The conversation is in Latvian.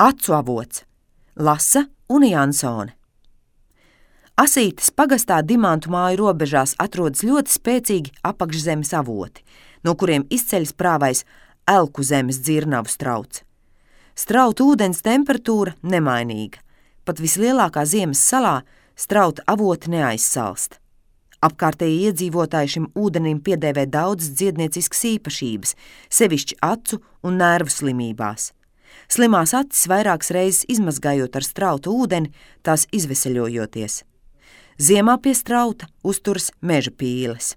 Acu avots. Lasa un Jansone. Asītes pagastā Dimantu māju robežās atrodas ļoti spēcīgi apakšzemes avoti, no kuriem izceļas prāvais Elku zemes dzirnavu strauts. Strauta ūdens temperatūra nemainīga. Pat vislielākā ziemas salā strauta avoti neaizsalst. Apkārtēji iedzīvotāji šim ūdenim piedēvē daudzas dziednieciskas īpašības, sevišķi acu un nervu slimībās. Slimās acis vairākas reizes izmazgājot ar strautu ūdeni, tās izveseļojoties. Ziemā pie strauta uzturas meža pīles.